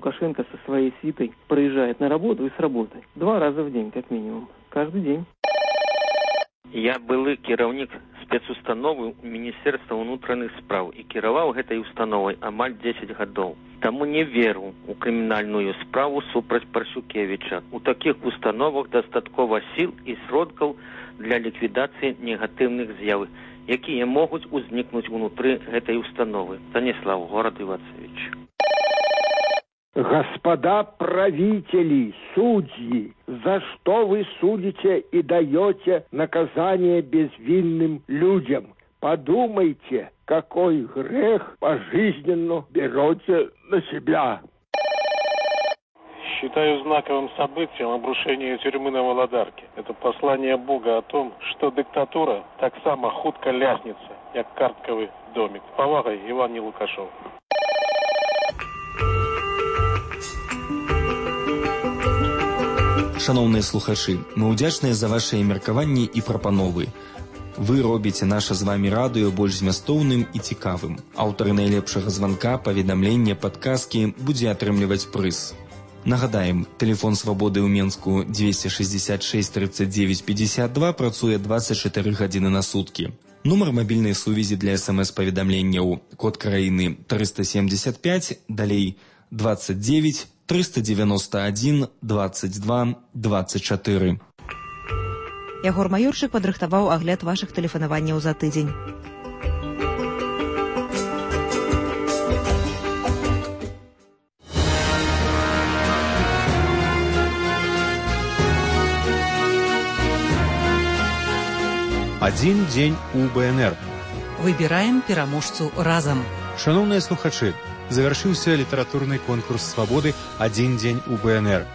Лукашенко со своей свитой проезжает на работу и с работы 2 раза в день, как минимум. Каждый день. Я былы кіраўнік спецустановы Міністерства ўнутраных спраў і кіраваў гэтай установай амаль 10 гадоў. Таму не веру ў крымінальную справу супраць Паршукевіча. У такіх установах дастаткова сіл і сродкаў для ліквідацыі негатыўных з'яў, якія могуць узнікнуць унутры гэтай установы. Станіслав, город Ивацевич. Господа правители, судьи, за что вы судите и даете наказание безвинным людям? Подумайте, какой грех пожизненно берете на себя. Считаю знаковым событием обрушение тюрьмы на Володарке. Это послание Бога о том, что диктатура так само хутко ляснется, как картковый домик. С повагой, Иван Нелукашов. Шановныя слухачы, мы ўдзячныя за вашыя меркаванні і прапановы. Вы робіце наша з вамі радыё больш змястоўным і цікавым. Аўтары найлепшага званка, паведамлення, падказкі будзе атрымліваць прыз. Нагадаем, тэлефон свабоды ў Менску 266 39 52 працуе 24 гадзіны на суткі. Нумар мабільнай сувязі для СМС-паведамленняў, код краіны 375, далей 29 391 22 24. Ягор Маёрчык падрыхтаваў агляд вашых тэлефанаванняў за тыдзень. Один день у БНР. Выбираем пераможцу разам. Шановныя слухачы, завяршыўся літаратурны конкурс свабоды «Адзін дзень у БНР».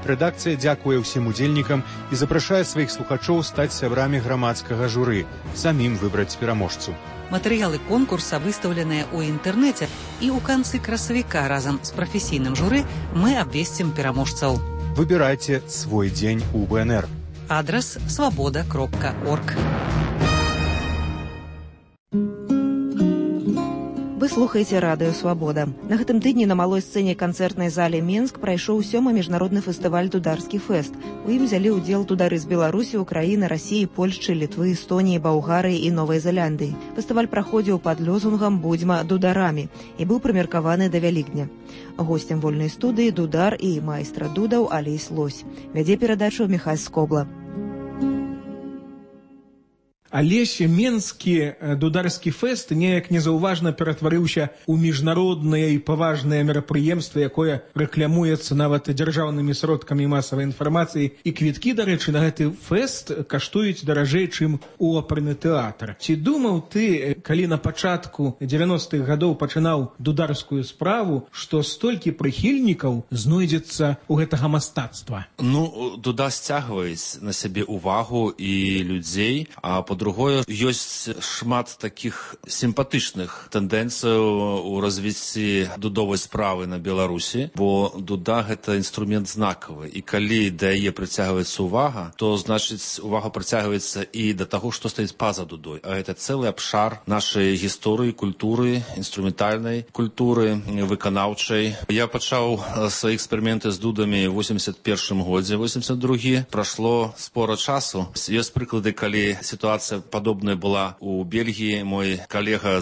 Рэдакцыя дзякуе ўсім удзельнікам і запрашае сваіх слухачоў стаць сябрамі грамадскага журы, самім выбраць пераможцу. Матэрыялы конкурса выстаўленыя ў інтэрнэце і ў канцы красавіка разам з прафесійным журы мы абвесцім пераможцаў. Выбірайце свой дзень у БНР. Адрас свабода.орг. Вы слухаеце радыё «Свабода». На гэтым тыдні на малой сцэне канцэртнай зале Менск прайшоў 7-й міжнародны фестываль «Дударскі фэст». У ім взялі ўдзел дудары з Беларусі, Украіны, Расіі, Польшчы, Літвы, Эстоніі, Балгарыі і Новай Зеландыі. Фестываль праходзіў пад лозунгам «Будзьма дударамі» і быў прымеркаваны да Вялікдня. Госцем вольнай студыі дудар і майстра дудаў Алесь Лось. Вядзе перадачу Міхась Скобла. Алесь, менскі дударскі фэст неяк незаўважна ператварыўся ў міжнароднае і паважнае мерапрыемства, якое рэкламуецца нават дзяржаўнымі сродкамі масавай інфармацыі. І квіткі, дарэчы, на гэты фэст каштуюць даражэй, чым у оперны тэатр. Ці думаў ты, калі на пачатку 90-х гадоў пачынаў дударскую справу, што столькі прыхільнікаў знойдзецца ў гэтага мастацтва? Ну, дуда сцягваюць на сябе увагу і людзей, а по-другое, ёсць шмат такіх сімпатычных тэндэнцыяў у развіцці дудовай справы на Беларусі, бо дуда гэта інструмент знакавы, і калі да яе прыцягваецца увага, то значыць увага прыцягваецца і да таго, што стаіць па-за дудой, а гэта цэлы абшар нашай гісторыі, культуры, інструментальнай культуры, выканаўчай. Я пачаў свае эксперыменты з дудамі ў 81 годзе, 82 прашло спора часу. Ёсць прыклады, калі сітуацыя падобная была у Бельгіі. Мой калега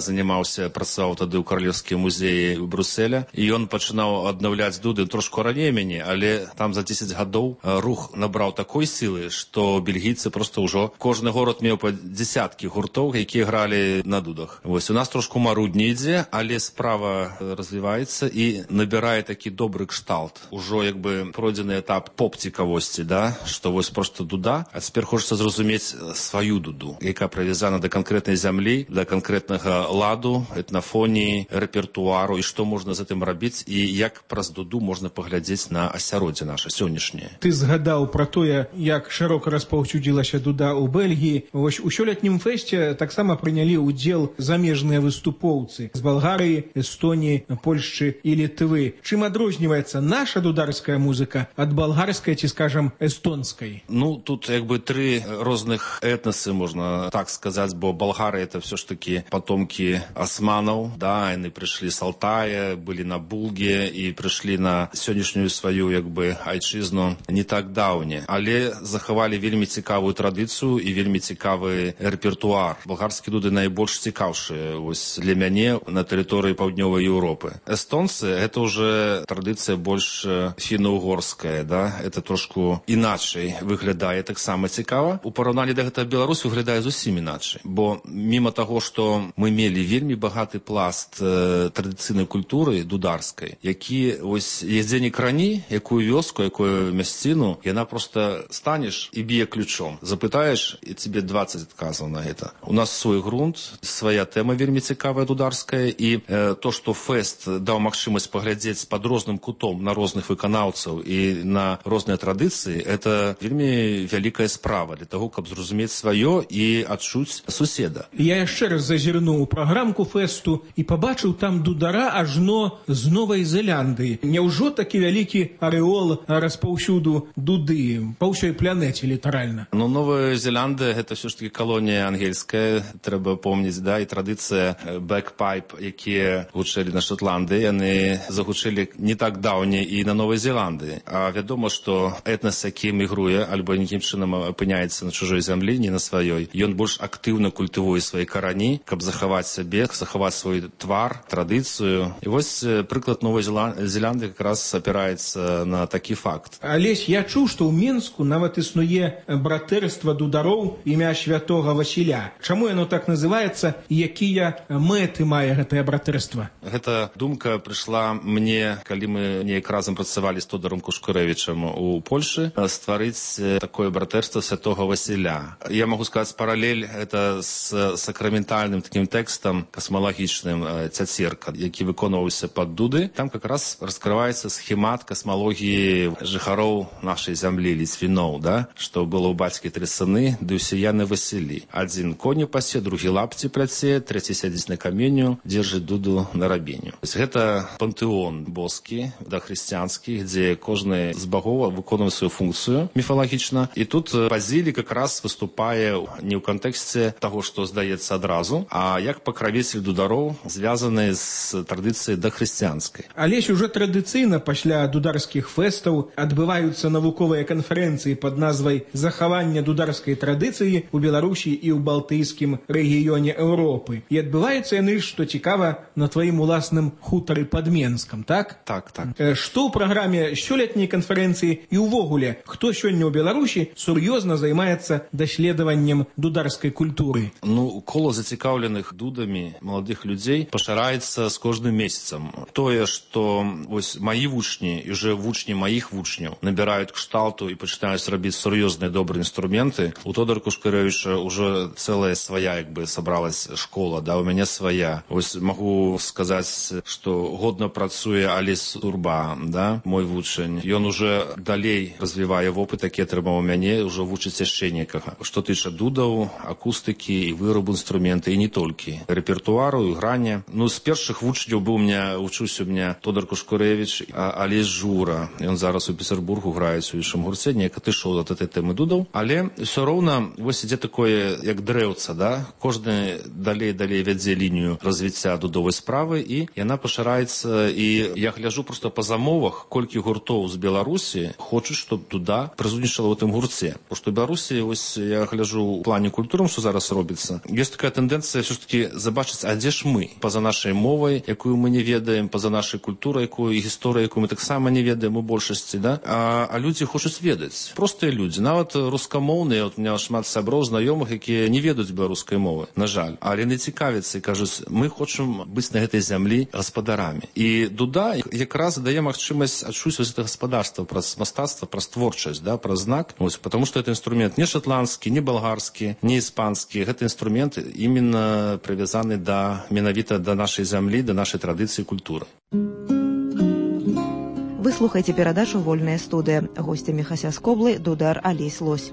працаваў тады ў Каралеўскім музеі ў Брюсселя, і ён пачынаў аднаўляць дуды трошку раней мяне, але там за 10 гадоў рух набраў такой сілы, што бельгійцы проста ўжо кожны горад меў па дзесяткі гуртоў, якія гралі на дудах. Вось у нас трошку марудні ідзе, але справа развіваецца і набірае такі добры кшталт. Ужо як бы пройдзены этап поп-цікавосці, да, што вось проста дуда, а цяпер хочацца зразумець сваю дуду, яка прывязана да канкрэтнай зямлі, да канкрэтнага ладу, этнафоніі, рэпертуару, і што можна з гэтым рабіць, і як праз дуду можна паглядзець на асяроддзе наша сённяшняе. Ты згадаў пра тое, як шырока распаўсюдзілася дуда ў Бельгіі. Вось у сёлетнім фэсце таксама прынялі ўдзел замежныя выступоўцы з Балгарыі, Эстоніі, Польшчы і Літвы. Чым адрозніваецца наша дударская музыка ад балгарскай ці, скажам, эстонскай? Ну, тут як бы 3 розных этнасы можна так сказать, бо болгары это все ж таки потомки османов, да, они пришли с Алтая, были на Булге и пришли на сённяшнюю свою, як бы, айчызну не так даўне, але захавалі вельмі цікавую традыцыю і вельмі цікавы рэпертуар. Балгарскія дуды найбольш цікаўшыя вось для мяне на тэрыторыі паўднёвай Еўропы. Эстонцы это уже традыцыя больш фіно-угорская, да, это трошку іначай выглядае, таксама цікава. У параўнанні да гэтага Беларусь выглядае зусім іначай, бо міма таго, што мы мелі вельмі багаты пласт традыцыйнай культуры дударскай, які вось ездзенне крані, якую вёску, якую мясціну, яна просто станеш і б'е ключом. Запытаеш, і тебе 20 адказаў на гэта. У нас свой грунт, свая тэма вельмі цікавая дударская, і то, што фэст даў магчымасць паглядзець пад розным кутом на розных выканаўцаў і на розныя традыцыі, это вельмі вялікая справа для того, каб зразумець сваё і адчуць суседа. Я яшчэ раз зазірнуў у праграмку фэсту і пабачыў там дудара ажно з Новай Зеландыі. Няўжо такі вялікі арэол распаўсюду дуды па ўсёй планеце літаральна? Ну, Новая Зеландыя гэта ўсё ж таки калонія ангельская, трэба помніць, да, і традыцыя бэкпайп, якія гучэлі на Шотландыі, яны загучэлі не так даўне і на Новай Зеландыі. А вядома, што этнас, які мігруе альбо нейкім чынам апыняецца на чужой зямлі, не на сваёй, ён больш актыўна культывуе свае карані, каб захаваць сябе, захаваць свой твар, традыцыю. І вось прыклад Новай Зеландыі как раз апіраецца на такі факт. Алесь, я чуў, што ў Мінску нават існуе братэрства дудароў імя святога Васіля. Чаму яно так называецца і якія мэты мае гэтае братэрства? Гэта думка прыйшла мне, калі мы неяк разам працавалі з Тодором Кушкурэвічам у Польшы, стварыць такое братэрства святога Васіля. Я магу сказаць паралель это з сакраментальным такім тэкстам касмалагічным «Цяцерка», які выконваўся пад дуды. Там как раз раскрываецца схемат касмалогіі жыхароў нашай зямлі, ліцвіноў, да? Што было ў бацькі 3 сыны, ды ўсе яны Васілі. Адзін коню пасе, другі лапці пляце, трэці сядзіць на каменю, дзержыць дуду на рабеню. Гэта пантэон боскі, да, хрысціянскі, дзе кожны з багоў выконвае сваю функцыю міфалагічна. І тут Базілій как раз выступае не ў кантэксце таго, што здаецца адразу, а як пакравіцель дудароў, звязаны з традыцыяй дахрысціянскай. Алесь, уже традыцыйна пасля дударскіх фэстаў адбываюцца навуковыя канферэнцыі пад назвай «Захаванне дударскай традыцыі ў Беларусі і ў балтыйскім рэгіёне Еўропы». І адбываюцца яны, што цікава, на тваім уласным хутары пад Менскам, так? Так, так. Што ў праграме сёлетняй канферэнцыі і ўвогуле, хто сёння ў Беларусі сур'ёзна займаецца даследаваннем дударскай культуры? Ну, кола зацікаўленых дудамі маладых людзей пашыраецца з кожным месяцам. Тое, што вось маі вучні і уже вучні маіх вучняў набіраюць кшталту і пачынаюць рабіць сур'ёзныя добрыя інструменты. У Тодора Кушкурэвіча уже цэлая свая, як бы, сабралась школа, да, у мяне свая. Вось магу сказаць, што годна працуе Алесь Турба, да, мой вучань. Ён уже далей развівае вопыт, які атрымаў у мяне, уже вучыць яшчэ некага. Што тыча дудаў, акустыкі і вырабу інструменты, і не толькі. Рэпертуару, і грання. Ну, з першых вучняў быў вучуся у меня Тодор Кушкурэвіч, Алесь Жура. Ён зараз у Петербургу граюць у іншым гурце, неяк адышоў ад этой тэмы дудаў. Але ўсё роўна вось ідзе такое, як дрэўца, да? Кожны далей вядзе лінію развіцця дудовай справы, і яна пашыраецца. І я гляджу просто па замовах, колькі гуртоў з Беларусі хочуць, чтоб дуда прысутнічала ў гэтым гурце. Бо што ў Беларусі, вось я гляджу ў плане культуры, што зараз робіцца. Ёсць такая тэндэнцыя ўсё ж таки забачыць, а дзе ж мы? Па-за нашай мовай, якую мы не ведаем, па-за нашай культурай, якую і гісторыю, якую мы таксама не ведаем у большасці, да? А людзі хочуць ведаць. Простыя людзі, нават рускамоўныя, у меня шмат сяброў, знаёмых, якія не ведаюць беларускай мовы, на жаль. Але не цікавяцца і кажуць, мы хочам быць на гэтай зямлі гаспадарамі. І дуда якраз дае магчымасць адчуць вось гэта гаспадарства праз мастацтва, праз творчасць, да, праз знак. Вось, потому што гэта інструмент не шотландскі, не балгарскі, не іспанскі. Гэта інструмент іменно прывязаны менавіта да нашай зямлі, да нашай традыцыі і культуры. Вы слухаеце перадачу «Вольная студыя». Госцямі Хася Скоблы дудар Алесь Лось.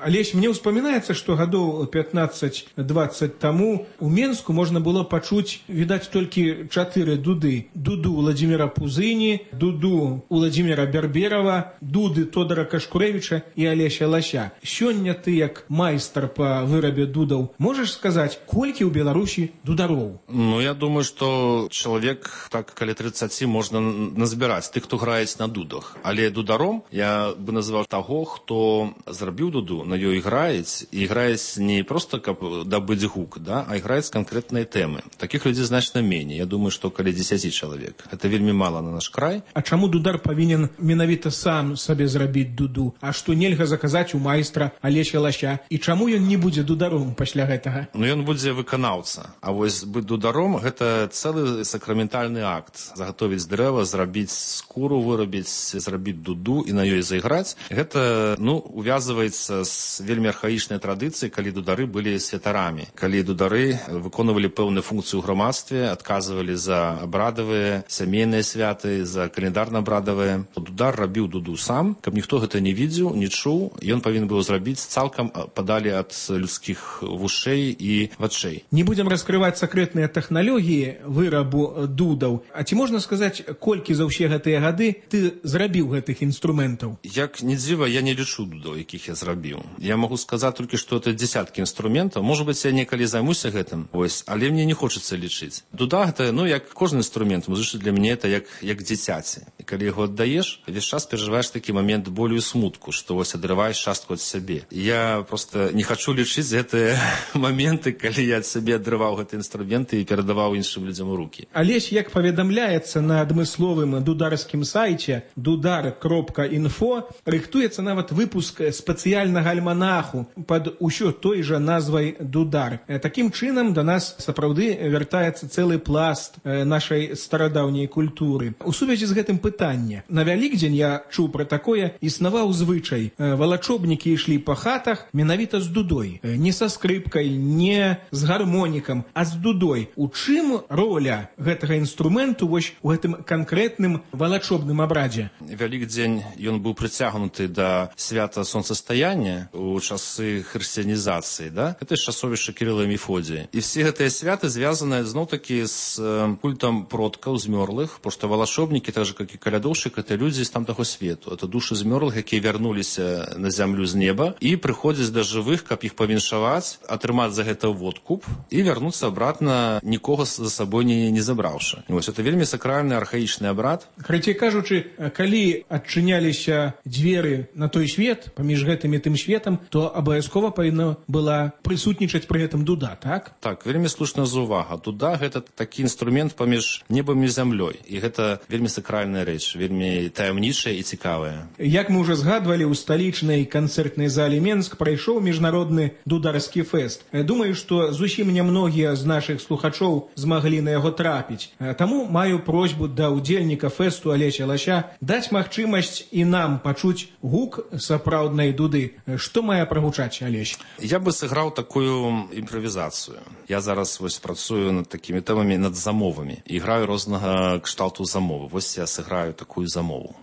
Олесь, мне успоминается, что годов 15-20 тому у Менску можно было почуть, видать, только 4 дуды. Дуду Владимира Пузыни, дуду Владимира Берберова, дуды Тодора Кашкуревича и Олеся Лася. Сёння ты, як майстар по вырабе дудов, можешь сказать, кольки у Беларуси дударов? Ну, я думаю, что человек, так, каля 30 можно назбирать, тых, кто грает на дудах. Але дударом я бы назвал того, кто зрабіў дуду, на ёй грает, и играет не просто, как добыть гук, да, а играет с конкретной темы. Таких людей значно менее. Я думаю, что каля 10 человек. Это вельми мало на наш край. А чаму дудар повинен менавіта сам сабе зрабіць дуду? А што нельга заказаць у майстра Алеся Лася? І чаму ён не будзе дударом пасля гэтага? Ну, ён будзе выканаўца. А вось быць дударом – гэта цэлы сакраментальны акт. Заготовіць дрэва, зрабіць скуру, вырабіць, зрабіць дуду і на ёй зайграць. Гэта, ну, увязываецца з вельмі архаічнай традыцыі, калі дудары былі святарамі. Калі дудары выконвалі пэўную функцыю ў грамадстве, адказвалі за абрадавыя, сямейныя святы, за календарна-абрадавыя. Дудар рабіў дуду сам, каб ніхто гэта не видзеў, не чуў. Ён павінен быў зрабіць цалкам падалі ад людскіх вушэй і вачэй. Не будем раскрывать секретные технологии вырабу дудаў. А ці можна сказаць, колькі за ўсе гэтыя гады ты зрабіў гэтых інструментаў? Як не дзіва, я не лічу дудаў, якіх я зрабіў. Я могу сказаць толькі, што это десяткі інструментаў. Может быть, я некалі займуся гэтым, ось, але мне не хочацца лічыць. Дуда гэта, ну, як кожны інструмент, музычны для мяне это як дзіцяці. І калі яго аддаеш, весь час перажываеш такі момент болю і смутку, што вось адрываеш частку ад сябе. Я просто не хочу лічыць гэтыя моменты, калі я ад сябе адрываў гэтыя інструменты і перадаваў іншым людзям у рукі. Алесь, як паведамляецца на адмысловым дударскім сайце dudar.info, рыхтуецца нават выпуск спецыяльнага альманаху пад усё той жа назвай дудар. Такім чынам да нас сапраўды вяртаецца цэлы пласт нашай старадаўняй культуры. У сувязі з гэтым пытанне. На Вялікдзень я чуў пра такое, існаваў звычай. Валачобнікі ішлі па хатах менавіта з дудой. Не са скрыпкай, не з гармонікам, а з дудой. У чым роля гэтага інструменту вось у гэтым канкрэтным валачобным абрадзе? Вялікдзень ён быў прыцягнуты да свята сонцастаяння у часы хрысціянізацыі, да? Гэта часовішча Кірыла і Мефодія. І все гэтыя святы звязаныя зноў-такі з культам продкаў змёрлых, потому што валашобнікі, так же, як і калядоўшчык, это людзі з тамтага свету. Это душы змёрлых, якія вярнуліся на зямлю з неба і прыходзяць да жывых, каб іх павіншаваць, атрымаць за гэта водкуп і вярнуцца абратна, нікога за сабой не забраўшы. Вось это вельмі сакральны архаічны абрад. Карацей кажучы, калі адчыняліся дзверы на той свет, паміж гэтым і тым светам, то абавязкова павінна была прысутнічаць пры гэтым дуда, так? Так, вельмі слушная заўвага. Дуда гэта такі інструмент паміж небам і зямлёй. І гэта вельмі сакральная рэч, вельмі таямнічая і цікавая. Як мы ўжо згадвалі, у сталічнай канцэртнай зале Менск прайшоў міжнародны дударскі фэст. Думаю, што зусім нямногія з нашых слухачоў змаглі на яго трапіць. Таму маю просьбу да ўдзельніка фэсту Алеся Лася даць магчымасць і нам пачуць гук сапраўднай дуды. Што мае прагучаць, Алесь? Я бы сыграў такую імправізацыю. Я зараз вось працую над такімі тэмамі, над замовамі. І граю рознага кшталту замовы. Вось я сыграю такую замову.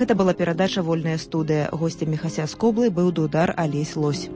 Гэта была перадача «Вольная студыя». Гостем Міхася Скоблы быў Дудар Алесь Лось.